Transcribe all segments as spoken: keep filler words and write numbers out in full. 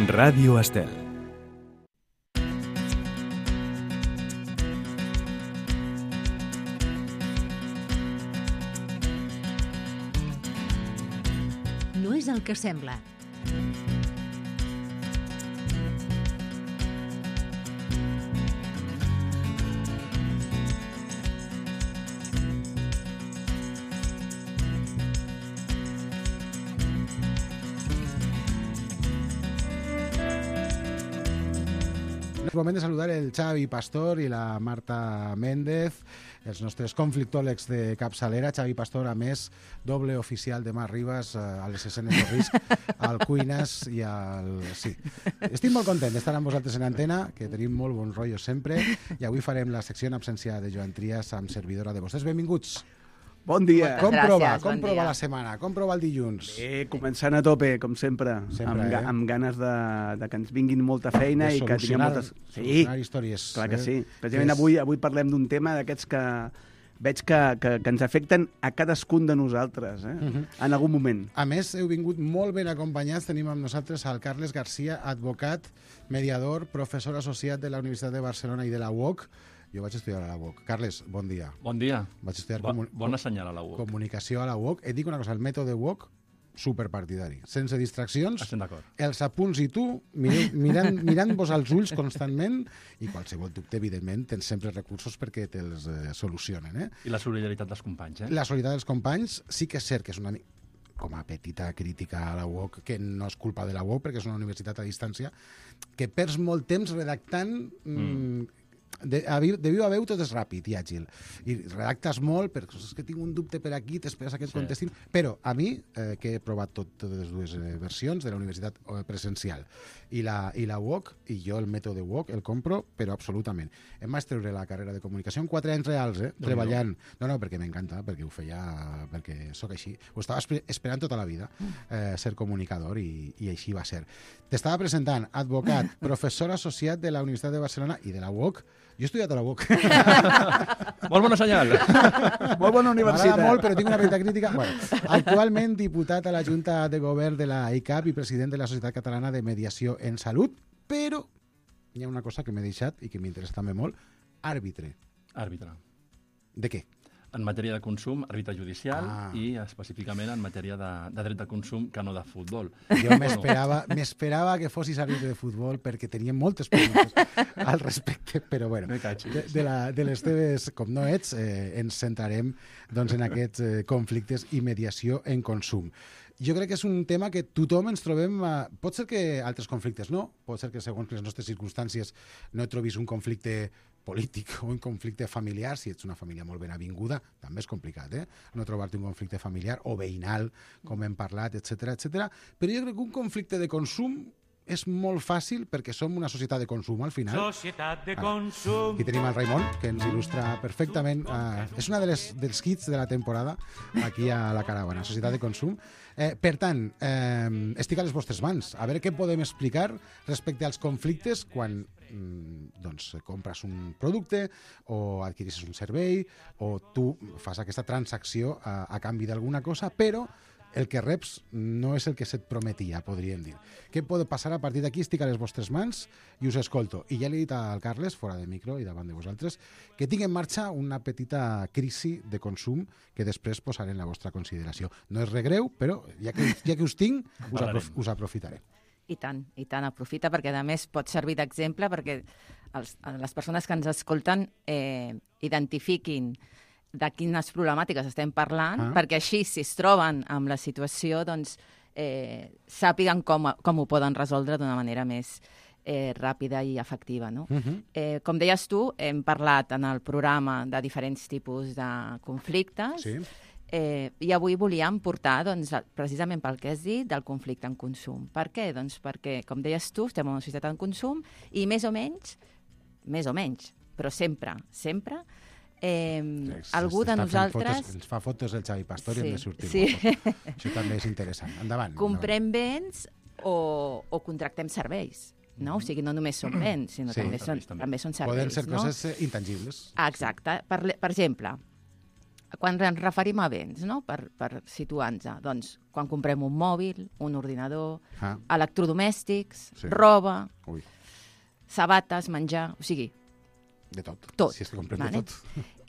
Ràdio Estel. No és el que sembla. És moment de saludar el Xavi Pastor i la Marta Méndez, els nostres conflictòlegs de capçalera. Xavi Pastor, a més, doble oficial de Mar Ribas a les escenes de risc, al Cuines i al... Sí. Estic molt content d'estar amb vosaltres en antena, que tenim molt bon rotllo sempre, i avui farem la secció en absència de Joan Trias amb servidora de vostès. Benvinguts. Bon dia. Com Gràcies, prova? bon Com prova dia. la setmana? Com prova el dilluns? Bé, començant a tope, com sempre, Sempre, amb, ga eh? amb ganes de, de que ens vinguin molta feina De i que tinguem solucionar- moltes... Sí, solucionar històries. clar que eh? sí. Precisament És- avui, avui parlem d'un tema d'aquests que veig que, que, que ens afecten a cadascun de nosaltres, eh? Mhm. en algun moment. A més, heu vingut molt ben acompanyats. Tenim amb nosaltres al Carles Garcia, advocat, mediador, professor associat de la Universitat de Barcelona i de la U O C. Jo vaig estudiar a la U O C. Carles, bon dia. Bon dia. Vaig estudiar Bo, comu- bona senyal a la U O C. comunicació a la U O C. Et dic una cosa, el mètode U O C, superpartidari. Sense distraccions, Estem d'acord. els apunts i tu, mireu, mirant, mirant-vos als ulls constantment, i qualsevol dubte, evidentment, tens sempre recursos perquè te'ls eh, solucionen. Eh? I la solidaritat dels companys, eh? La solidaritat dels companys sí que és cert que és una mica com a petita crítica a la U O C, que no és culpa de la U O C, perquè és una universitat a distància, que perds molt temps redactant... Mm. De, a, vi- de viu a veu tot és ràpid i àgil. I redactes molt, perquè és que tinc un dubte per aquí, t'esperes a que et Sí. contestin. Però a mi, eh, que he provat tot, totes les dues eh, versions de la universitat eh, presencial i la, i la U O C, i jo el mètode U O C el compro, però absolutament. Em vaig treure la carrera de comunicació en quatre anys reals, eh, treballant. No, no, perquè m'encanta, perquè ho feia, perquè sóc així. Ho estava esper esperant tota la vida, eh, ser comunicador, i, i així va ser. T'estava presentant advocat, professor associat de la Universitat de Barcelona i de la U O C. Jo he estudiat a la U O C. Molt bona senyal. Molt bona universitat. M'agrada molt, però tinc una petita crítica. Bueno, actualment diputat a la Junta de Govern de la I C A P i president de la Societat Catalana de Mediació en Salut, però hi ha una cosa que m'he deixat i que m'interessa també molt, àrbitre. Àrbitre. De què? En matèria de consum, àrbitre judicial Ah. i específicament en matèria de, de dret de consum, que no de futbol. Jo m'esperava m'esperava que fossis àrbitre de futbol perquè tenia moltes preguntes al respecte, però bueno, Me cachis. de, de, la, de les teves, com no ets, eh, ens centrarem doncs, en aquests eh, conflictes i mediació en consum. Jo crec que és un tema que tothom ens trobem... A... Pot ser que altres conflictes no, pot ser que segons les nostres circumstàncies no et trobis un conflicte polític o un conflicte familiar, si ets una família molt ben avinguda, també és complicat, eh? No trobar-te un conflicte familiar o veïnal, com hem parlat, etcètera, etcètera. Però jo crec que un conflicte de consum és molt fàcil perquè som una societat de consum al final. Societat de consum. Aquí tenim el Raimon, que ens il·lustra perfectament. Uh, és una de les, dels hits de la temporada aquí a la caravana, Societat de Consum. Eh, per tant, eh, estic a les vostres mans. A veure què podem explicar respecte als conflictes quan mm, doncs, compres un producte o adquirisses un servei o tu fas aquesta transacció a, a canvi d'alguna cosa, però el que reps no és el que se't prometia, podríem dir. Què pot passar a partir d'aquí? Estic a les vostres mans i us escolto. I ja li he dit al Carles, fora de micro i davant de vosaltres, que tinc en marxa una petita crisi de consum que després posaré en la vostra consideració. No és regreu, però ja que, ja que us tinc, us, aprof us aprofitaré. I tant, i tant, aprofita, perquè a més pot servir d'exemple perquè els, les persones que ens escolten eh, identifiquin de quines problemàtiques estem parlant, Ah. perquè així, si es troben amb la situació, doncs eh, sàpiguen com, com ho poden resoldre d'una manera més eh, ràpida i efectiva. No? Uh -huh. eh, com deies tu, hem parlat en el programa de diferents tipus de conflictes, Sí. Eh, I avui volíem portar, doncs, precisament pel que has dit, del conflicte en consum. Per què? Doncs perquè, com deies tu, estem en una societat en consum i més o menys, més o menys, però sempre, sempre, eh, Es- algú de està fent nosaltres... Fotos, ens fa fotos el Xavi Pastor i Sí, hem de sortir sí. guapos. Això també és interessant. Endavant. comprem béns o, o contractem serveis. No? O sigui, no només són béns, sinó Sí. també, són, Serveis, també. també són endavant. serveis. Poden ser no? coses eh, intangibles. Ah, exacte. Per, per exemple, Quan ens referim a béns, no? per, per situar-nos, doncs, quan comprem un mòbil, un ordinador, Ah. electrodomèstics, Sí. roba, Ui, sabates, menjar, o sigui, de tot. Tot, Si és que comprem vale? de tot.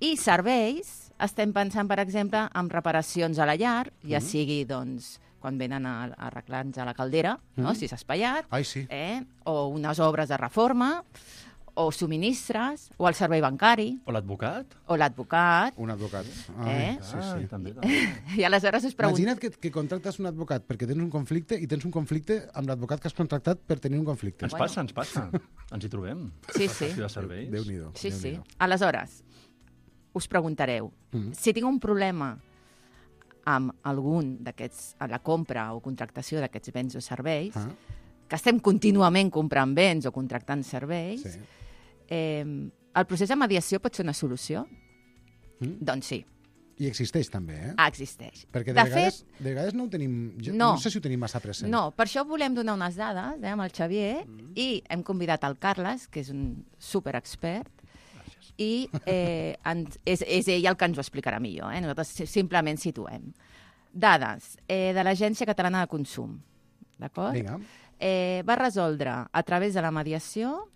i serveis, estem pensant, per exemple, en reparacions a la llar, ja sigui, doncs, quan venen a, a arreglar-nos a la caldera, no? Si s'ha espaiat, Ai, sí. eh? o unes obres de reforma, o subministres, o el servei bancari, O l'advocat? o l'advocat, Un advocat. Eh? Sí, Ah, sí. també, també. i aleshores us pregunto... Imagina't que, que contractes un advocat perquè tens un conflicte i tens un conflicte amb l'advocat que has contractat per tenir un conflicte. Ens Bueno. passa, ens passa. Ens hi trobem. Sí, sí. Prestació de serveis. Déu-n'hi-do. Sí, sí. Déu-n'hi-do. Aleshores, us preguntareu, Mm. si tinc un problema amb algun d'aquests, a la compra o contractació d'aquests béns o serveis, Ah, que estem contínuament comprant béns o contractant serveis, sí. eh, el procés de mediació pot ser una solució? Mm. Doncs sí, I existeix també, eh? ah, existeix. Perquè de, de vegades, fet, de vegades no ho tenim... Jo, No. no sé si ho tenim massa present. no, per això volem donar unes dades eh, amb el Xavier Mm. i hem convidat el Carles, que és un superexpert, Gràcies. i eh, ens, és, és ell el que ens ho explicarà millor. Eh? Nosaltres si- simplement situem. Dades eh, de l'Agència Catalana de Consum. D'acord? Vinga. Eh, va resoldre, a través de la mediació,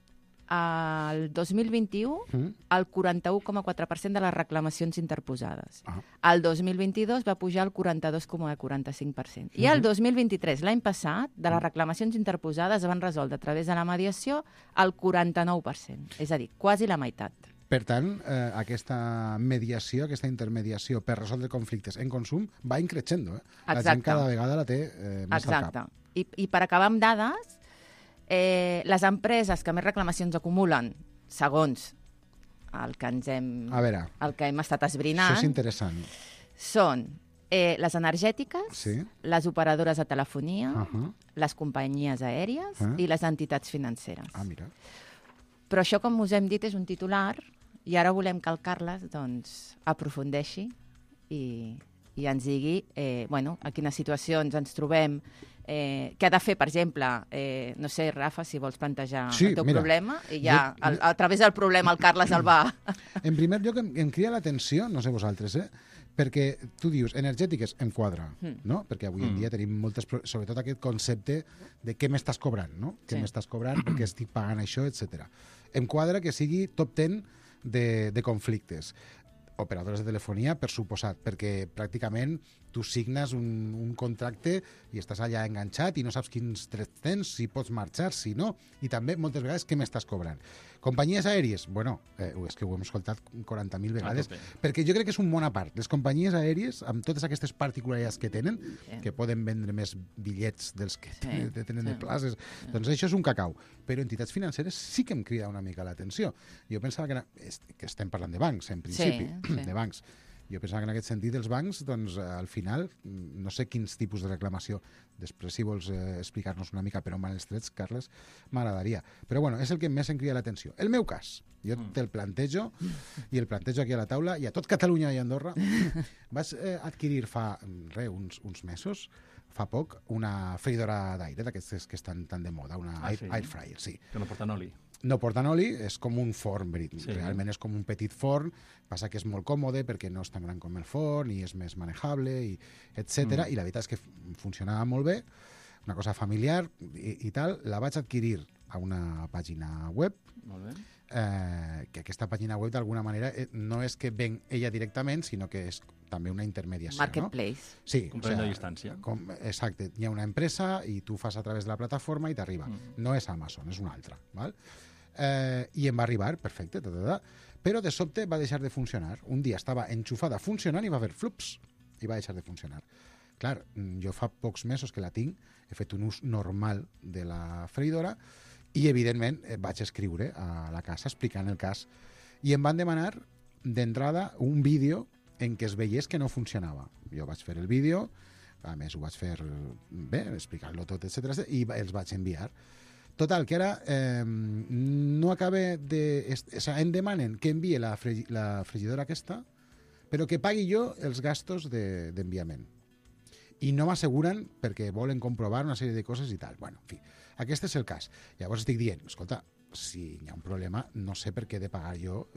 el dos mil vint-i-u, Mm. el quaranta-u coma quatre per cent de les reclamacions interposades. Ah. El dos mil vint-i-dos va pujar al quaranta-dos coma quaranta-cinc per cent. I el dos mil vint-i-tres, l'any passat, de les reclamacions interposades es van resoldre a través de la mediació el quaranta-nou per cent. És a dir, quasi la meitat. Per tant, eh, aquesta mediació, aquesta intermediació per resoldre conflictes en consum va increixendo. Eh? La gent Exacte. cada vegada la té eh, més al Exacte. cap. I, I per acabar amb dades, eh, les empreses que més reclamacions acumulen, segons el que ens hem, A veure, el que hem estat això esbrinant, és interessant. són eh, les energètiques, Sí. les operadores de telefonia, Uh -huh. les companyies aèries Ah. i les entitats financeres. Ah, mira. Però això, com us hem dit, és un titular i ara volem que el Carles doncs, aprofundeixi i, i ens digui eh, bueno, a quines situacions ens trobem, eh, què ha de fer, per exemple, eh, no sé, Rafa, si vols plantejar Sí, el teu mira, problema, i ja, jo- a, a través del problema, el Carles el va... En primer lloc, em, em crida l'atenció, no sé vosaltres, eh? perquè tu dius, energètiques em quadra, Mm. no? Perquè avui en Mm. dia tenim moltes... pro- Sobretot aquest concepte de què m'estàs cobrant, no? Què Sí. m'estàs cobrant, perquè estic pagant això, etcètera. Em quadra que sigui top ten de, de conflictes. Operadores de telefonia, per suposat, perquè pràcticament tu signes un, un contracte i estàs allà enganxat i no saps quins drets tens, si pots marxar, si no, i també moltes vegades què m'estàs cobrant. Companyies aèries, bueno, eh, és que ho hem escoltat quaranta mil vegades, tope. perquè jo crec que és un món a part. Les companyies aèries, amb totes aquestes particularitats que tenen, Sí. que poden vendre més bitllets dels que Sí, tenen, tenen de sí. places, doncs això és un cacau. Però entitats financeres sí que em crida una mica l'atenció. Jo pensava que, era, que estem parlant de bancs, en principi, Sí, sí. de bancs. Jo pensava que en aquest sentit els bancs, doncs, al final, no sé quins tipus de reclamació, després si vols eh, explicar-nos una mica per on van els trets, Carles, m'agradaria. Però bueno, és el que més em crida l'atenció. El meu cas, jo Mm. te'l plantejo, i el plantejo aquí a la taula, i a tot Catalunya i Andorra, vas eh, adquirir fa, re, uns, uns mesos, fa poc, una freidora d'aire, d'aquestes que estan tan de moda, una Ah, air, sí? air fryer, sí. Que no porten oli. No porten oli, és com un forn, verit. Sí. Realment és com un petit forn, passa que és molt còmode perquè no és tan gran com el forn i és més manejable, i etcètera. Mm. I la veritat és que f- funcionava molt bé, una cosa familiar i, i tal. La vaig adquirir a una pàgina web, Molt bé. eh, que aquesta pàgina web d'alguna manera eh, no és que ven ella directament, sinó que és també una intermediació. No? Marketplace. Sí, Comprem de distància. Com, exacte, hi ha una empresa i tu fas a través de la plataforma i t'arriba. Mm. No és Amazon, és una altra. Val? Eh, I em va arribar, perfecte, ta, ta, ta, però de sobte va deixar de funcionar. Un dia estava enxufada funcionant i va haver flups i va deixar de funcionar. Clar, mm, jo fa pocs mesos que la tinc, he fet un ús normal de la freidora i, evidentment, eh, vaig escriure a la casa explicant el cas. I em van demanar d'entrada un vídeo en què es veiés que no funcionava. Jo vaig fer el vídeo, a més ho vaig fer bé, explicant-lo tot, etcètera, i va- els vaig enviar. Total, que ara eh, no acaba de... est- O sigui, em demanen que envie la, fre la frigidora aquesta, però que pagui jo els gastos de- d'enviament. I no m'asseguren perquè volen comprovar una sèrie de coses i tal. Bueno, en fi, aquest és el cas. Llavors estic dient, escolta, si hi ha un problema, no sé per què he de pagar jo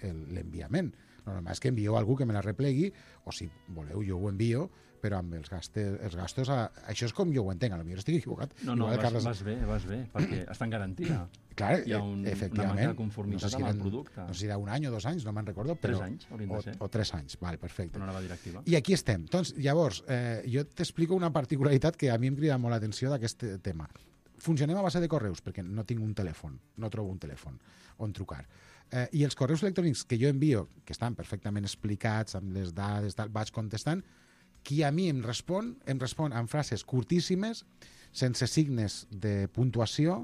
l'enviament. El normal és que envieu algú que me la replegui, o si voleu jo ho envio, però amb els gastos, els gastos a... això és com jo ho entenc, potser estic equivocat. No, no, Igual, vas, Carles... vas bé, vas bé, perquè està en garantia. Clar, Hi ha un, una manca de conformitat no sé si amb el producte. No sé si era un any o dos anys, no me'n recordo. Però, tres anys, haurien de ser. O, o tres anys, val, perfecte. Una nova directiva. I aquí estem. Doncs, llavors, eh, jo t'explico una particularitat que a mi em crida molt l'atenció d'aquest tema. Funcionem a base de correus, perquè no tinc un telèfon, no trobo un telèfon on trucar. Eh, I els correus electrònics que jo envio, que estan perfectament explicats, amb les dades, tal, vaig contestant, qui a mi em respon, em respon amb frases curtíssimes, sense signes de puntuació,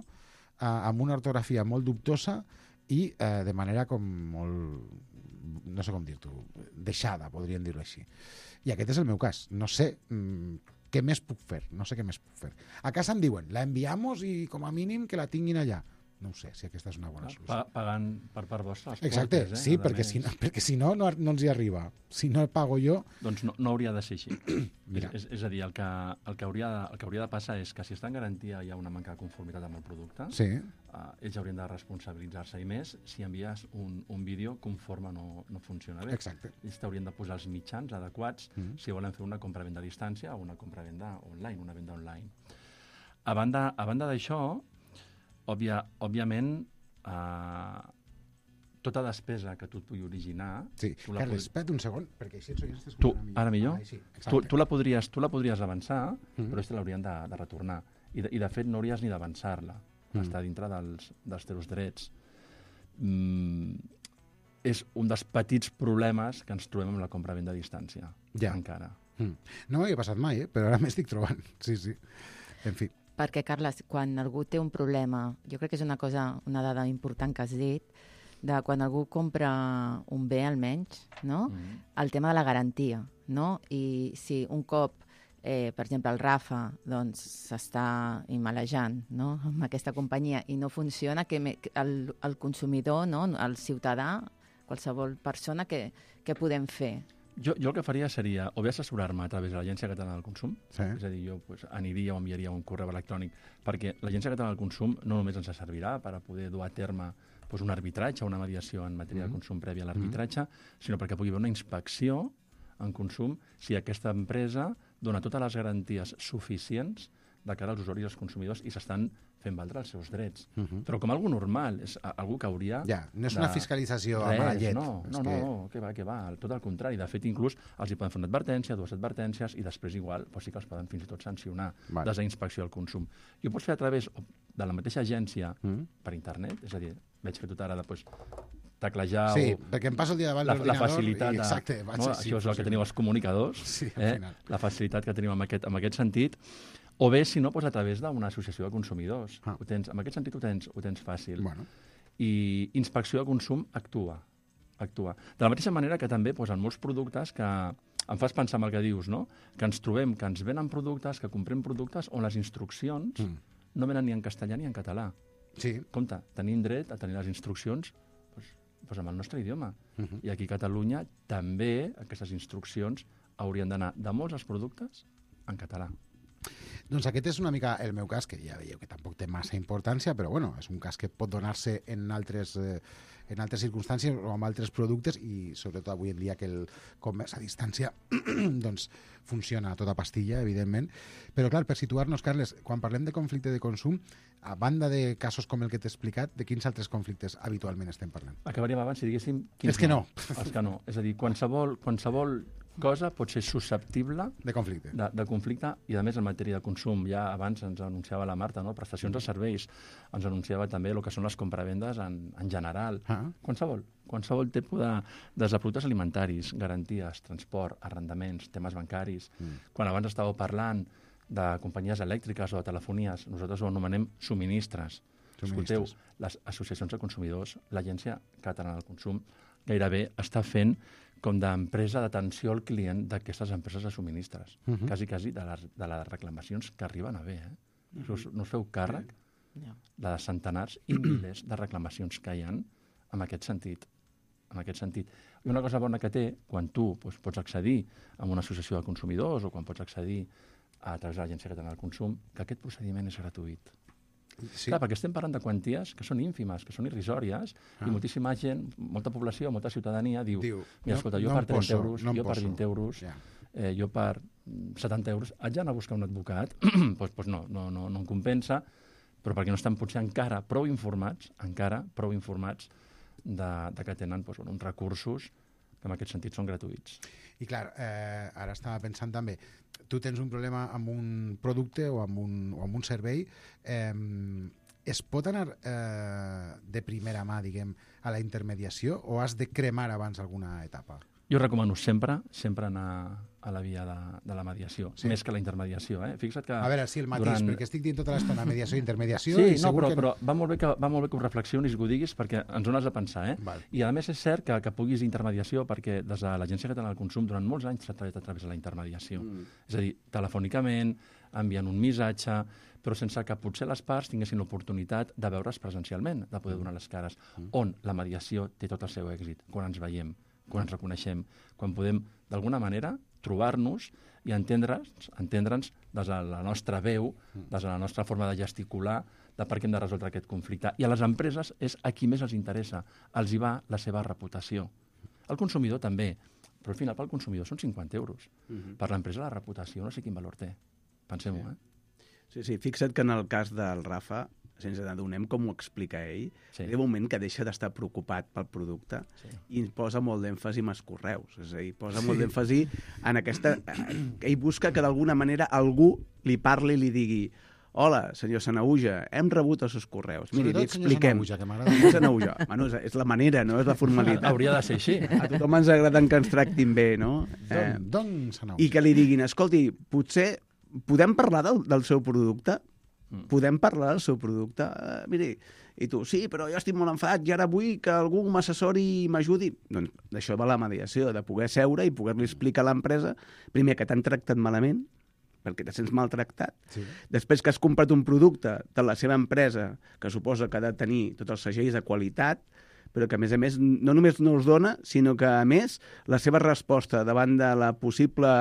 eh, amb una ortografia molt dubtosa i eh, de manera com molt, no sé com dir-t'ho, deixada, podríem dir-ho així. I aquest és el meu cas. No sé mm, què més puc fer, no sé què més puc fer. A casa em diuen, la enviamos i com a mínim que la tinguin allà. No ho sé, si aquesta és una bona solució. Pa pagant per part vostra. Exacte, portes, eh? sí, perquè si, no, perquè si no, no, no ens hi arriba. Si no el pago jo... Doncs no, no hauria de ser així. Mira. És, és a dir, el que, el, que hauria, el que hauria de passar és que si està en garantia hi ha una manca de conformitat amb el producte, Sí. eh, ells haurien de responsabilitzar-se, i més si envies un, un vídeo conforme no, no funciona bé. Exacte. Ells t'haurien de posar els mitjans adequats Mm. si volen fer una compra-venda a distància o una compra-venda online, una venda online. A banda, a banda d'això, òbvia, òbviament, Uh, tota despesa que tu et pugui originar... Sí. tu la Carles, pod- espera't un segon, perquè així ens oients Tu, t'escoltaran ara millor? Ah, sí, tu, exacte. tu, la podries, tu la podries avançar, Mm. però ells te l'haurien de, de retornar. I de, I de fet no hauries ni d'avançar-la. Mm. Està dintre dels, dels teus drets. Mm, és un dels petits problemes que ens trobem amb la compra-venda a distància. Ja. Encara. Mm. No m'havia passat mai, eh? Però ara m'estic trobant. Sí, sí. En fi. Perquè, Carles, quan algú té un problema, jo crec que és una cosa, una dada important que has dit, de quan algú compra un bé almenys, no? Mm. El tema de la garantia, no? I si un cop, eh, per exemple, el Rafa doncs, s'està immalejant, no? Amb aquesta companyia i no funciona, que me- que el, el consumidor, no? El ciutadà, qualsevol persona, que, que podem fer? Jo, jo el que faria seria o bé assessorar-me a través de l'Agència Catalana del Consum, Sí. és a dir, jo pues, aniria o enviaria un correu electrònic, perquè l'Agència Catalana del Consum no només ens servirà per a poder dur a terme pues, un arbitratge, una mediació en matèria Mm. de consum prèvia a l'arbitratge, sinó perquè pugui haver una inspecció en consum si aquesta empresa dona totes les garanties suficients de cara als usuaris i als consumidors i s'estan fent valdre els seus drets. Uh -huh. Però com algú normal, és a- algú que hauria... Ja, no és de- una fiscalització a Res, mala llet. No, És no, que... no, que va, que va, tot el contrari. De fet, inclús els hi poden fer una advertència, dues advertències, i després igual pues sí que els poden fins i tot sancionar Vale. des d'inspecció al consum. I ho pots fer a través de la mateixa agència Mm. per internet, és a dir, veig que tu ara de, pues, teclejar Sí, o perquè em passo el dia davant la, la l'ordinador facilitat i... de, Exacte, vaig no? així, Això és el que teniu els comunicadors, Sí, al eh? final. La facilitat que tenim en aquest, en aquest sentit. O bé, si no, doncs a través d'una associació de consumidors. Ah. Ho tens, en aquest sentit ho tens, ho tens fàcil. Bueno, I inspecció de consum actua. actua. De la mateixa manera que també doncs, en molts productes que em fas pensar en el que dius, no? Que ens trobem, que ens venen productes, que comprem productes on les instruccions Mm. no venen ni en castellà ni en català. sí. Compte, tenim dret a tenir les instruccions doncs, doncs amb el nostre idioma. Uh -huh. I aquí a Catalunya també aquestes instruccions haurien d'anar de molts dels productes en català. Doncs aquest és una mica el meu cas, que ja veieu que tampoc té massa importància, però bueno, és un cas que pot donar-se en altres, eh, en altres circumstàncies o amb altres productes i sobretot avui en dia que el comerç a distància doncs funciona a tota pastilla, evidentment. Però clar, per situar-nos, Carles, quan parlem de conflicte de consum, a banda de casos com el que t'he explicat, de quins altres conflictes habitualment estem parlant? Acabaríem abans si diguéssim... És que no. És que no. És a dir, qualsevol, qualsevol cosa pot ser susceptible De conflicte. de, de conflicte i, a més, en matèria de consum. Ja abans ens anunciava la Marta, no? Prestacions de serveis. Ens anunciava també el que són les compravendes en, en general. Ah. Qualsevol. Qualsevol tipus de, des de productes alimentaris, garanties, transport, arrendaments, temes bancaris. Mm. Quan abans estàveu parlant de companyies elèctriques o de telefonies, nosaltres ho anomenem subministres. Escolteu, Subministres. les associacions de consumidors, l'Agència Catalana del Consum, gairebé està fent com d'empresa d'atenció al client d'aquestes empreses de subministres. Uh -huh. Quasi, quasi de les, de les reclamacions que arriben a haver. Eh? Uh -huh. Us, no us feu càrrec Ja. de centenars i milers de reclamacions que hi ha en aquest sentit. En aquest sentit. I una cosa bona que té, quan tu doncs, pots accedir a una associació de consumidors o quan pots accedir a través de l'Agència Catalana del Consum, que aquest procediment és gratuït. Sí. Clar, perquè estem parlant de quanties que són ínfimes, que són irrisòries, Ah. i moltíssima gent, molta població, molta ciutadania diu, Diu, mira, no- escolta, jo no per em trenta poso, euros, no em jo per poso. vint euros, Ja. eh, jo per setanta euros, haig d'anar a buscar un advocat? pues, pues no, no, no, no em compensa, però perquè no estan potser encara prou informats, encara prou informats de, de que tenen pues, bueno, uns recursos que en aquest sentit són gratuïts. I clar, eh, ara estava pensant també, tu tens un problema amb un producte o amb un, o amb un servei, eh, es pot anar eh, de primera mà, diguem, a la intermediació o has de cremar abans alguna etapa? Jo recomano sempre, sempre anar a la via de, de la mediació, Sí. sí. més que la intermediació. Eh? Fixa't que... A veure, sí, el mateix, durant... perquè estic dient tota l'estona mediació i intermediació Sí, i no, segur però, que... però va, molt bé que, va molt bé que ho reflexionis i que ho diguis perquè ens ho has de pensar. Eh? Val. I a més és cert que, que puguis intermediació perquè des de l'Agència Catalana del Consum durant molts anys s'ha treballat a través de la intermediació. Mm. És a dir, telefònicament, enviant un missatge, però sense que potser les parts tinguessin l'oportunitat de veure's presencialment, de poder donar les cares, mm. on la mediació té tot el seu èxit, quan ens veiem, quan ens reconeixem, quan podem, d'alguna manera, trobar-nos i entendre'ns, entendre'ns des de la nostra veu, des de la nostra forma de gesticular, de per què hem de resoldre aquest conflicte. I a les empreses és a qui més els interessa, els hi va la seva reputació. El consumidor també, però al final pel consumidor són cinquanta euros. Mhm. Per l'empresa la reputació no sé quin valor té. Pensem-ho, eh? Sí, sí, fixa't que en el cas del Rafa, sense adonem com ho explica ell, Sí. sí. Hi ha un moment que deixa d'estar preocupat pel producte Sí. i posa molt d'èmfasi en els correus. És a dir, posa Sí. molt d'èmfasi en aquesta... Ell busca que d'alguna manera algú li parli i li digui hola, senyor Sanahuja, hem rebut els seus correus. Miri, li Sobretot, senyor expliquem. Sanahuja, que m'agrada. Senyor Sanahuja. Bueno, és, és la manera, no? És la formalitat. Hauria de ser així. A tothom ens agrada que ens tractin bé, no? Eh, Don, don Sanahuja. I que li diguin, escolti, potser podem parlar del, del seu producte? Mm. Podem parlar del seu producte? Uh, miri, i tu, sí, però jo estic molt enfadat i ara vull que algú m'assessori i m'ajudi. Doncs d'això va la mediació, de poder seure i poder-li explicar a l'empresa, primer, que t'han tractat malament, perquè te sents maltractat. Sí. Després que has comprat un producte de la seva empresa, que suposa que ha de tenir tots els segells de qualitat, però que, a més a més, no només no els dona, sinó que, a més, la seva resposta davant de la possible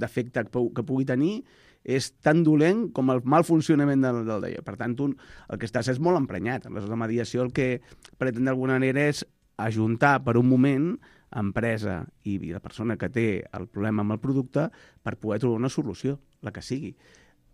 defecte que, pu- que pugui tenir és tan dolent com el mal funcionament del, del d'allò. Per tant, tu el que estàs és molt emprenyat. Aleshores, la mediació el que pretén d'alguna manera és ajuntar per un moment empresa i la persona que té el problema amb el producte per poder trobar una solució, la que sigui.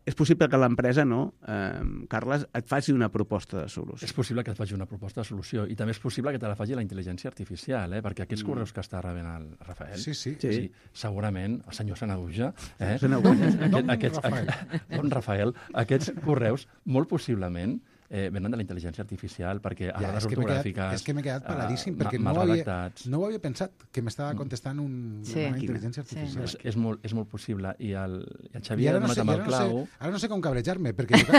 És possible que l'empresa, no, eh, Carles, et faci una proposta de solució. És possible que et faci una proposta de solució i també és possible que te la faci la intel·ligència artificial, eh? perquè aquests correus que està rebent el Rafael, Sí, sí. Sí. sí, segurament, el senyor Sanahuja, eh? Sanahuja. Aquest, Don aquests, Rafael. Don Rafael, aquests correus, molt possiblement, eh, venen de la intel·ligència artificial, perquè a Ja, les és que m'he quedat, ortogràfiques... és que m'he quedat paradíssim, eh, perquè ma- no, mal ho havia, redactats. no ho havia pensat, que m'estava contestant un, Sí. una intel·ligència Sí. artificial. És, és, molt, és molt possible. I el, i el I Xavier ara ha no, donat sé, amb i el ara, no clau... sé, ara no sé com cabrejar-me, perquè, jo,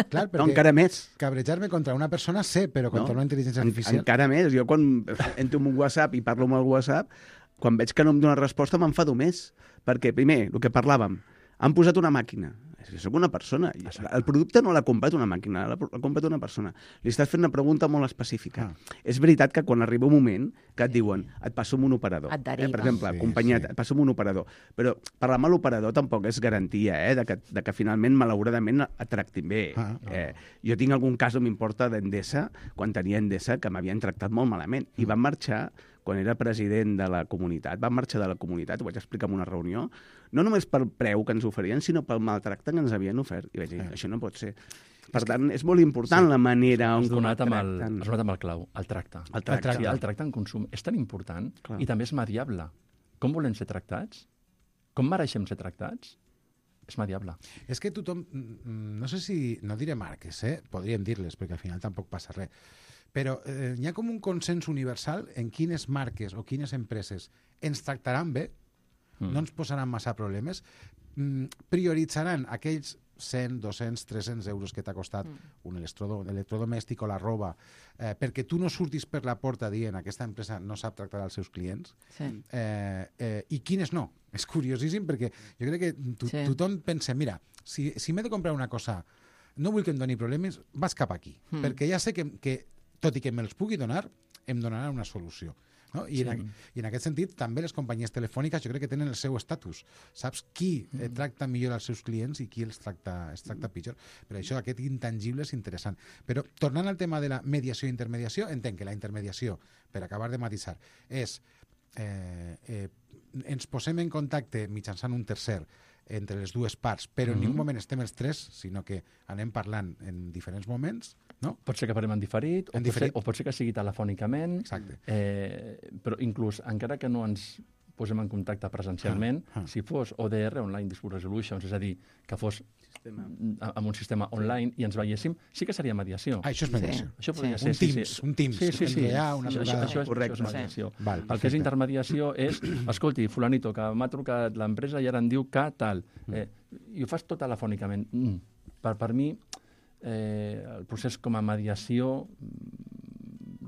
clar, perquè No, encara més. cabrejar-me contra una persona sé, però contra No? una intel·ligència En, artificial... encara més. Jo quan entro en un WhatsApp i parlo amb el WhatsApp, quan veig que no em dóna resposta m'enfado més. Perquè, primer, el que parlàvem, han posat una màquina. Jo soc una persona. I el producte no l'ha comprat una màquina, l'ha l'ha comprat una persona. Li estàs fent una pregunta molt específica. Ah. És veritat que quan arriba un moment que et diuen et passo amb un operador. Et deriven. Eh? Per exemple, Sí, acompanyat, sí. et passo amb un operador. Però parlar amb l'operador tampoc és garantia eh? de, que, de que finalment, malauradament, et tractin bé. Ah, no. eh, jo tinc algun cas on m'importa d'Endesa, quan tenia Endesa, que m'havien tractat molt malament. I van marxar, quan era president de la comunitat, van marxar de la comunitat, ho vaig explicar en una reunió, no només pel preu que ens oferien, sinó pel maltracte que ens havien ofert. I vaig dir, això no pot ser. Per tant, és molt important la manera on Has donat, amb el, tracten. has donat amb el clau, el tracte. El tracte. Sí, el tracte en consum és tan important Clar. i també és mediable. Com volem ser tractats? Com mereixem ser tractats? És mediable. És que tothom, mm, no sé si, no diré marques, eh? podríem dir-les, perquè al final tampoc passa res, però eh, hi ha com un consens universal en quines marques o quines empreses ens tractaran bé, Mm. no ens posaran massa problemes, mm, prioritzaran aquells cent, dos-cents, tres-cents euros que t'ha costat Mm. un electrodo, electrodomèstic o la roba, eh, perquè tu no surtis per la porta dient aquesta empresa no sap tractar els seus clients, Sí. eh, eh, i quines no. És curiosíssim perquè jo crec que to Sí. tothom pensa, mira, si, si m'he de comprar una cosa, no vull que em doni problemes, vas cap aquí, Mm. perquè ja sé que, que, tot i que me'ls pugui donar, em donaran una solució. No? I, sí. en, I en aquest sentit, també les companyies telefòniques jo crec que tenen el seu estatus. Saps qui eh, tracta millor els seus clients i qui els tracta, els tracta pitjor. Per això aquest intangible és interessant. Però tornant al tema de la mediació i intermediació, entenc que la intermediació, per acabar de matisar, és eh, eh, ens posem en contacte mitjançant un tercer entre les dues parts, però en mm-hmm. ningú moment estem els tres, sinó que anem parlant en diferents moments, no? Pot ser que parlem en diferit, en o, diferit. Pot ser, o pot ser que sigui telefònicament, Exacte. Eh, però inclús, encara que no ens posem en contacte presencialment, ah, ah. si fos O D R, Online Dispute Resolutions, és a dir, que fos sistema. amb un sistema online i ens veiéssim, sí que seria mediació. Ah, això és mediació. Sí. Això podria sí. ser, un Teams, sí, sí. un Teams. Sí, sí, sí. Hi ha una això, això, això, és, Correcte. això és mediació. Sí. Val, el que és intermediació és, escolti, fulanito, que m'ha trucat l'empresa i ara em diu que tal. Eh, I ho fas tot telefònicament. Mm. Per, per mi, eh, el procés com a mediació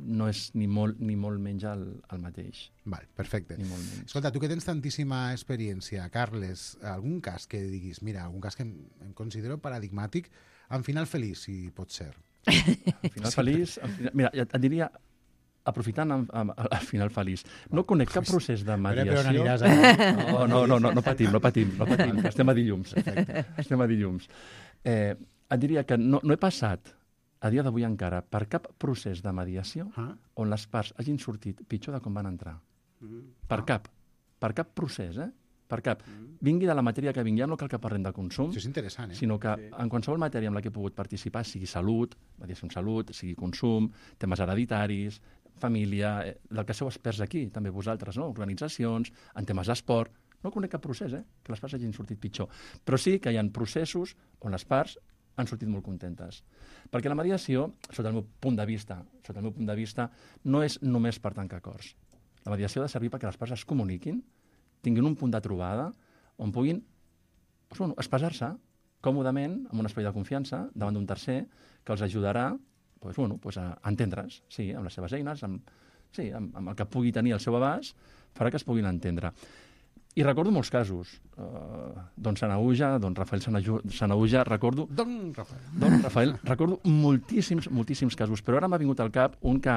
no és ni molt, ni molt menys el, el mateix. Val, perfecte. Ni molt menys. Escolta, tu que tens tantíssima experiència, Carles, algun cas que diguis, mira, algun cas que em, em considero paradigmàtic, en final feliç, si pot ser. En final feliç... En final, mira, et diria, aprofitant amb, amb, el final feliç, no conec cap procés de mediació... Però, però on aniràs ara? No, no, no, no, no patim, no patim, no patim, estem a dilluns. Perfecte. Estem a dilluns. Eh, et diria que no, no he passat, a dia d'avui encara, per cap procés de mediació ah. on les parts hagin sortit pitjor de com van entrar. Mm. Per ah. cap. Per cap procés, eh? Per cap. Mm. Vingui de la matèria que vingui, no cal que parlem de consum, això és interessant, eh? sinó que sí. en qualsevol matèria en la que he pogut participar, sigui salut, mediació en salut, sigui consum, temes hereditaris, família, eh, del que sou experts aquí, també vosaltres, no? Organitzacions, en temes d'esport, no conec cap procés, eh? Que les parts hagin sortit pitjor. Però sí que hi ha processos on les parts han sortit molt contentes. Perquè la mediació, sota el meu punt de vista, sota el meu punt de vista, no és només per tancar acords. La mediació ha de servir perquè les parts es comuniquin, tinguin un punt de trobada on puguin doncs, bueno, expressar-se còmodament, amb un espai de confiança, davant d'un tercer, que els ajudarà doncs, bueno, doncs a entendre's, sí, amb les seves eines, amb, sí, amb, amb el que pugui tenir al seu abast, farà que es puguin entendre. I recordo molts casos. Uh, don Sanauja, don Rafael Sanauja, recordo... Don Rafael. Don Rafael, recordo moltíssims, moltíssims casos, però ara m'ha vingut al cap un que,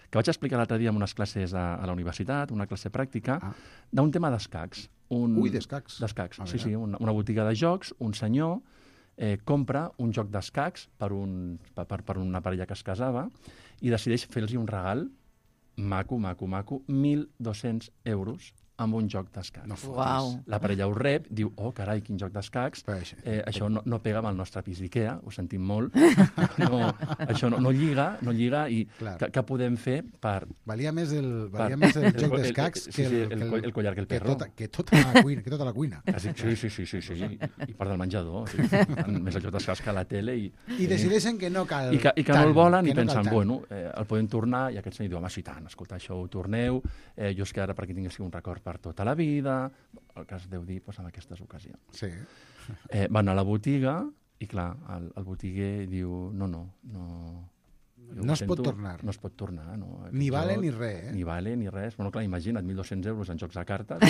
que vaig explicar l'altre dia en unes classes a, a la universitat, una classe pràctica, ah. d'un tema d'escacs. Un... Ui, d'escacs. D'escacs, sí, sí, una, una botiga de jocs, un senyor eh, compra un joc d'escacs per, un, per, per una parella que es casava i decideix fer-los un regal maco, maco, maco, mil dos-cents euros amb un joc d'escacs. No Uau. La parella ho rep, diu, oh, carai, quin joc d'escacs. Eh, això no, no pega amb el nostre pis d'Ikea, ho sentim molt. No, això no, no lliga, no lliga i què, què podem fer per... Valia més el, valia per, més el joc d'escacs que, sí, sí, el, el, el, el collar que el perro. Que tota, que tota la cuina. Que tota la cuina. Sí, sí, sí, sí, sí. I, i part del menjador. Sí. Més el joc d'escacs que a la tele. I, I decideixen que no cal I que, i que tant, no el volen i no pensen, bueno, eh, el podem tornar, i aquest senyor diu, home, sí, tant, escolta, això ho torneu, eh, jo és que ara perquè tingués un record per tota la vida, el que es deu dir doncs, en aquestes ocasions. Sí. Eh, van a la botiga i, clar, el, el botiguer diu no, no, no... No es pot tornar. No es pot tornar, no. Ni vale ni res, eh? Ni vale ni res. Bueno, clar, imagina't, mil dos-cents euros en jocs de cartes,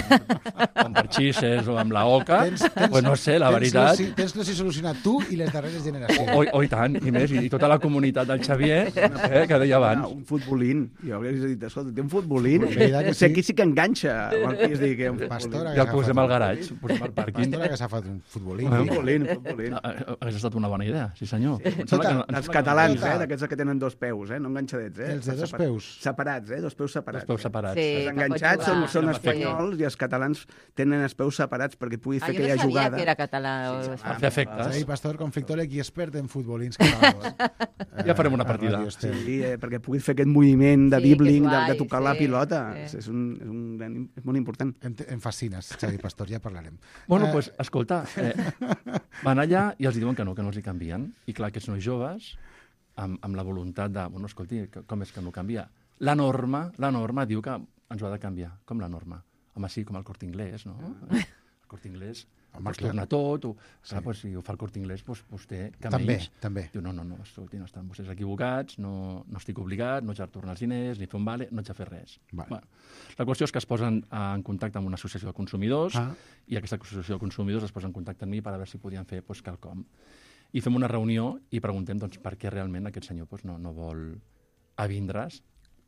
amb parxisses o amb la oca, tens, tens, pues no sé, la tens veritat... Lo, tens-lo si solucionat tu i les darreres generacions. O, o, i tant, i més, i, i tota la comunitat del Xavier, eh, que deia abans. Un futbolín. Jo hauria dit, escolta, té un futbolín. Sí. Sí. Aquí sí que enganxa. El pis dir que un Pastora ja el posem al garatge, posem al pàrquing. Pastora que s'ha fet un futbolín. Un futbolín, un futbolín. Hauria estat una bona idea, sí senyor. Sí. Tota, els catalans, eh, d'aquests que tenen dos peus, eh, no enganxadets, eh? Els de dos peus. Separats, eh? Dos peus separats. Dos peus separats. Sí, els enganxats són, són sí. espanyols i els catalans tenen els peus separats perquè pugui Ah, fer aquella jugada. Jo no sabia jugada. que era català. Sí, O... per fer efectes. Sí, Pastor, conflictòleg i expert en futbolins catalans. Ja farem una partida. Sí, eh, perquè puguis fer aquest moviment de Sí, dribbling, que és de, de guai, tocar sí, la pilota. sí. És, un, és, un, gran- és molt important. Em, em fascines, Xavi Pastor, ja parlarem. Bueno, Eh, doncs, pues, escolta, eh, van allà i els diuen que no, que no els hi canvien. I clar, aquests nois joves, amb, amb la voluntat de, bueno, escolti, que- com és que no canvia? La norma, la norma diu que ens ho ha de canviar. Com la norma? Home, sí, com el Corte Inglés, no? El Corte Inglés Home, pues, clar. torna tot, o, Sí. clar, pues, si ho fa el Corte Inglés, pues, vostè que També, menys. també. Diu, no, no, no, escolti, no estan vostès equivocats, no, no estic obligat, no haig de tornar els diners, ni fer un vale, no haig de fer res. Vale. Bueno, la qüestió és que es posen en contacte amb una associació de consumidors Ah. i aquesta associació de consumidors es posa en contacte amb mi per a veure si podien fer pues, quelcom. I fem una reunió i preguntem doncs, per què realment aquest senyor pues, no, no vol avindre's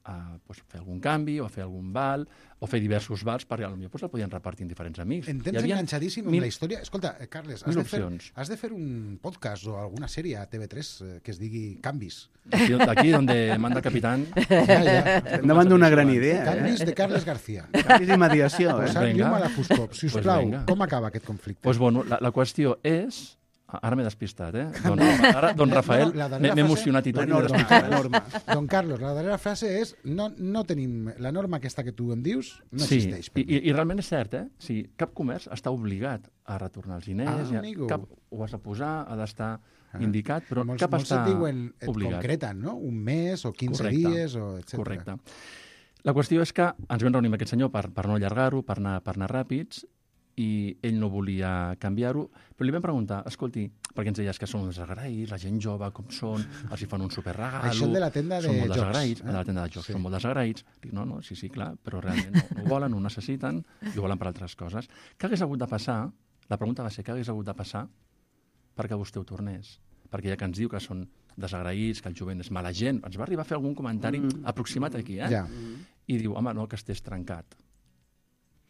a pues, fer algun canvi o a fer algun val o fer diversos vals perquè potser pues, el podien repartir en diferents amics. En temps enganxadíssim amb mil... la història. Escolta, eh, Carles, has mil de, fer, opcions. has de fer un podcast o alguna sèrie a T V tres eh, que es digui Canvis. Aquí, aquí donde manda el capitán. Ja, ja. Estem davant d'una gran idea. Canvis Eh? de Carles García. Canvis i mediació. Eh? Posar Vinga. llum a la foscor. Si us Pues plau, vinga. com acaba aquest conflicte? Pues, bueno, la, la qüestió és... Ara m'he despistat, eh? Don, ara, don Rafael, No, la darrera m'he m'he frase- emocionat i tot. La i m'he norma, despistat. la norma. Don Carlos, la darrera frase és no, no tenim... La norma aquesta que tu em dius no Sí, existeix. i, i, i realment és cert, eh? Sí, cap comerç està obligat a retornar els diners, Ah, ja, amigo. cap, ho has de posar, ha d'estar Ah. indicat, però molts, cap molts està et diuen, et obligat. concreten, no? Un mes o quinze Correcte. dies, o etcètera. Correcte. La qüestió és que ens vam reunir amb aquest senyor per, per no allargar-ho, per anar, per anar ràpids, i ell no volia canviar-ho, però li vam preguntar, escolti, perquè ens deies que són uns desagraïts, la gent jove, com són, els hi fan un superregalo... Això el de la tenda de són molt jocs, desagraïts, eh? de la tenda de jocs, Sí. són molt desagraïts. Dic, no, no, sí, sí, clar, però realment no, no ho volen, no ho necessiten, i ho volen per altres coses. Què hagués hagut de passar? La pregunta va ser, què hagués hagut de passar perquè vostè ho tornés? Perquè ja que ens diu que són desagraïts, que el jovent és mala gent, ens va arribar a fer algun comentari mm. aproximat aquí, eh? Ja. I diu, home, no, que estés trencat.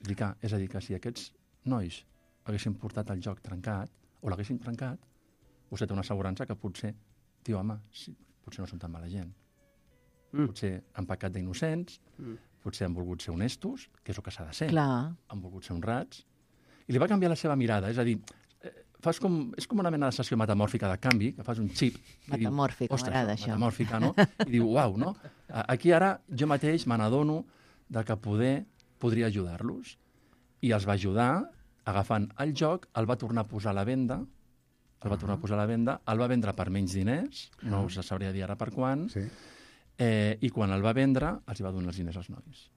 Dic, ah, és a dir, que si aquests nois haguessin portat el joc trencat, o l'haguessin trencat, vostè té una assegurança que potser, tio, home, sí, potser no són tan mala gent. Mm. Potser han pecat d'innocents, Mm. potser han volgut ser honestos, que és el que s'ha de ser. Clar. Han volgut ser honrats. I li va canviar la seva mirada, és a dir, eh, fas com, és com una mena de sessió metamòrfica de canvi, que fas un xip. i diu, Metamòrfica, "Ostres, m'agrada això." Metamòrfica, no? I diu, uau, no? A- Aquí ara jo mateix me n'adono de que poder podria ajudar-los. I els va ajudar agafant el joc, el va tornar a posar a la venda, el va tornar a posar a la venda, el va vendre per menys diners, no us sabria dir ara per quan, Sí. eh, i quan el va vendre els hi va donar els diners als nois.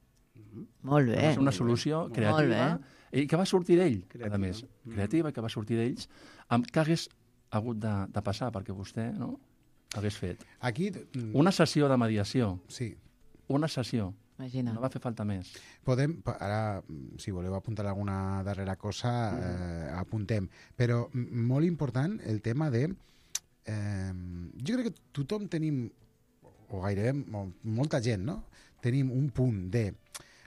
Molt bé. Va ser una solució Molt creativa i que va sortir d'ell, a Creativa. més. Creativa, que va sortir d'ells, amb què hagués hagut de, de passar perquè vostè no, hagués fet. Aquí... mm, Una sessió de mediació, Sí. una sessió, Imagina. no va fer falta més. Podem, pa- ara, mm, si voleu apuntar alguna darrera cosa, eh, apuntem. Però mm, molt important el tema de... Eh, jo crec que tothom tenim, o gairebé mo- molta gent, no? Tenim un punt de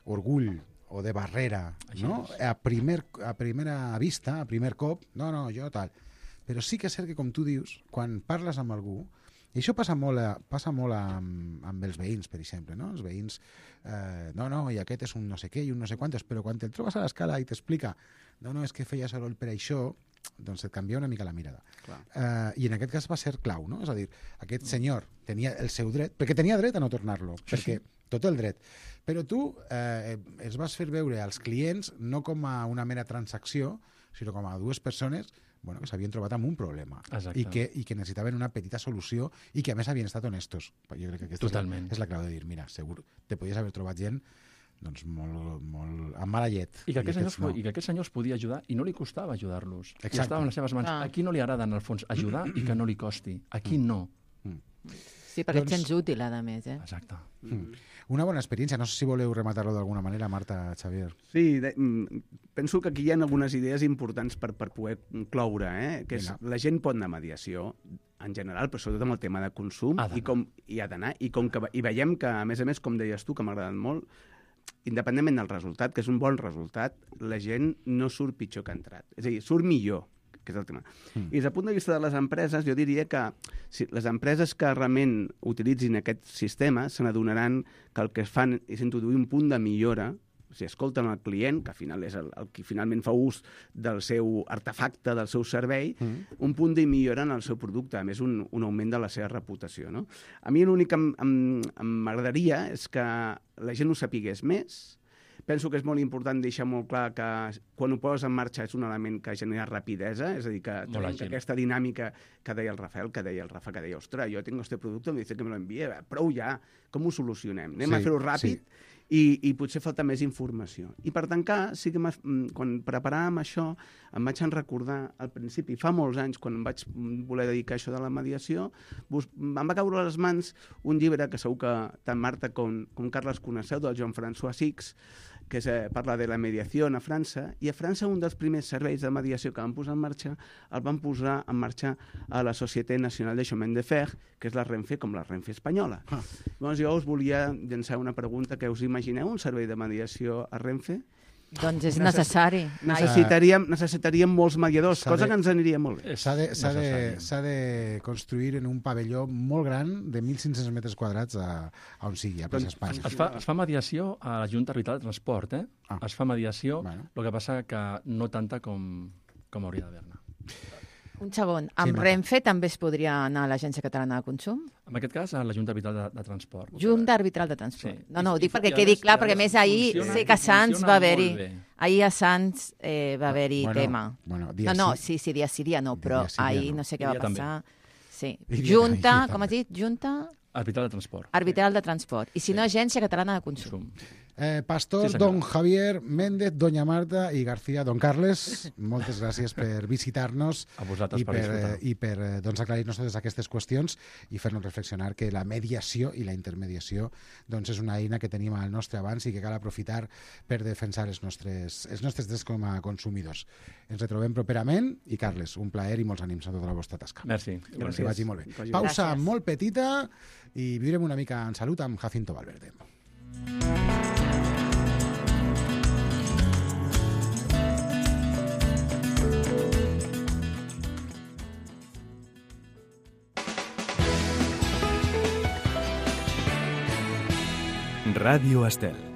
orgull o de barrera, Així no? és. A, primer, a primera vista, a primer cop, no, no, jo tal. Però sí que és cert que, com tu dius, quan parles amb algú, i això passa molt, a, passa molt amb, amb els veïns, per exemple, no? Els veïns, eh, no, no, i aquest és un no sé què i un no sé quantos, però quan te'l trobes a l'escala i t'explica, no, no, és que feia soroll per això, doncs et canvia una mica la mirada. Clar. Eh, I en aquest cas va ser clau, no? És a dir, aquest senyor tenia el seu dret, perquè tenia dret a no tornar-lo, Sí, perquè sí. tot el dret. Però tu eh, els vas fer veure als clients no com a una mera transacció, sinó com a dues persones bueno, que s'havien trobat amb un problema Exacte. i que, i que necessitaven una petita solució i que a més havien estat honestos. Jo crec que aquesta Totalment. és la, és la clau de dir, mira, segur, te podies haver trobat gent doncs molt, molt amb mala llet. I que, aquest senyor, aquests no. I que aquest senyor els podia ajudar i no li costava ajudar-los. I Exacte. estava en les seves mans. Ah. A qui no li agrada, en el fons, ajudar i que no li costi? A qui no? Sí, perquè Doncs- et sents útil, a més, eh? Exacte. Mm. Una bona experiència. No sé si voleu rematar-lo d'alguna manera, Marta, Xavier. Sí, de, mm, penso que aquí hi ha algunes idees importants per, per poder cloure, eh? que és, Vinga. la gent pot anar a mediació, en general, però sobretot amb el tema de consum, Ha d'anar. i com hi ha d'anar, i com que i veiem que, a més a més, com deies tu, que m'ha agradat molt, independentment del resultat, que és un bon resultat, la gent no surt pitjor que ha entrat. És a dir, surt millor, que és el tema. Mm. I des del punt de vista de les empreses, jo diria que si les empreses que realment utilitzin aquest sistema se n'adonaran que el que fan és introduir un punt de millora, o sigui, escolten el client, que al final és el, el que finalment fa ús del seu artefacte, del seu servei, mm. un punt de millora en el seu producte, a més un, un augment de la seva reputació. No? A mi l'únic que em- em- em m'agradaria és que la gent ho sapigués més. Penso que és molt important deixar molt clar que quan ho poses en marxa és un element que genera rapidesa, és a dir, que, Molt tenim àgil. que aquesta dinàmica que deia el Rafael, que deia el Rafa, que deia, ostres, jo tengo este producte, me dice que me lo envíe, prou ja, com ho solucionem? Anem Sí, a fer-ho ràpid? sí. I, i potser falta més informació. I per tancar, sí que m'has- mm, quan preparàvem això, em vaig en recordar al principi, fa molts anys, quan em vaig mm, voler dedicar a això de la mediació, bus, em va caure a les mans un llibre que segur que tant Marta com, com Carles coneixeu, del Joan François Six, que és eh, parla de la mediació a França, i a França un dels primers serveis de mediació que van posar en marxa el van posar en marxa a la Societé Nacional de Chemin de Fer, que és la Renfe com la Renfe espanyola. Ah. Llavors jo us volia llançar una pregunta, que us imagineu un servei de mediació a Renfe? Doncs és necessari. Necessitaríem, necessitaríem molts mediadors, cosa que ens aniria molt bé. S'ha de, s'ha de, s'ha de construir en un pavelló molt gran de mil cinc-cents metres quadrats a, a on sigui, a plaça Espanya. Es fa, es fa mediació a la Junta Arbitral de Transport, eh? Ah. Es fa mediació, Bueno. el que passa que no tanta com, com hauria d'haver-ne. Un segon. Amb Marta. Renfe també es podria anar a l'Agència Catalana de Consum? En aquest cas, a la Junta Arbitral de, de Transport. Junta Arbitral de Transport. Sí. No, no, ho I- dic perquè i a quedi més- clar, i a perquè més més ahir funciona- sé que a Sants funciona va haver-hi... molt bé. Ahir a Sants eh, va haver-hi Bueno, tema. bueno, dia no, no, sí. sí, sí, dia sí, dia no, però Dia sí, dia ahir no. no sé què I va dia també. passar. Sí. I dia- Junta, i dia com has també. dit? Junta Arbitral de Transport. Arbitral de Transport. I si no, Agència Catalana de Consum. Consum. Eh, Pastor, Sí, senyor. don Javier, Méndez, doña Marta i García, don Carles, moltes gràcies per visitar-nos A vosaltres i per per, disfrutar. eh, i per eh, doncs, aclarir-nos totes aquestes qüestions i fer-nos reflexionar que la mediació i la intermediació doncs, és una eina que tenim al nostre abans i que cal aprofitar per defensar els nostres, els nostres drets com a consumidors. Ens retrobem properament i, Carles, un plaer i molts ànims a tota la vostra tasca. Merci. Que us hi vagi molt bé. Vagi bé. Pausa Gràcies. molt petita i viurem una mica en salut amb Jacinto Valverde. Ràdio Estel.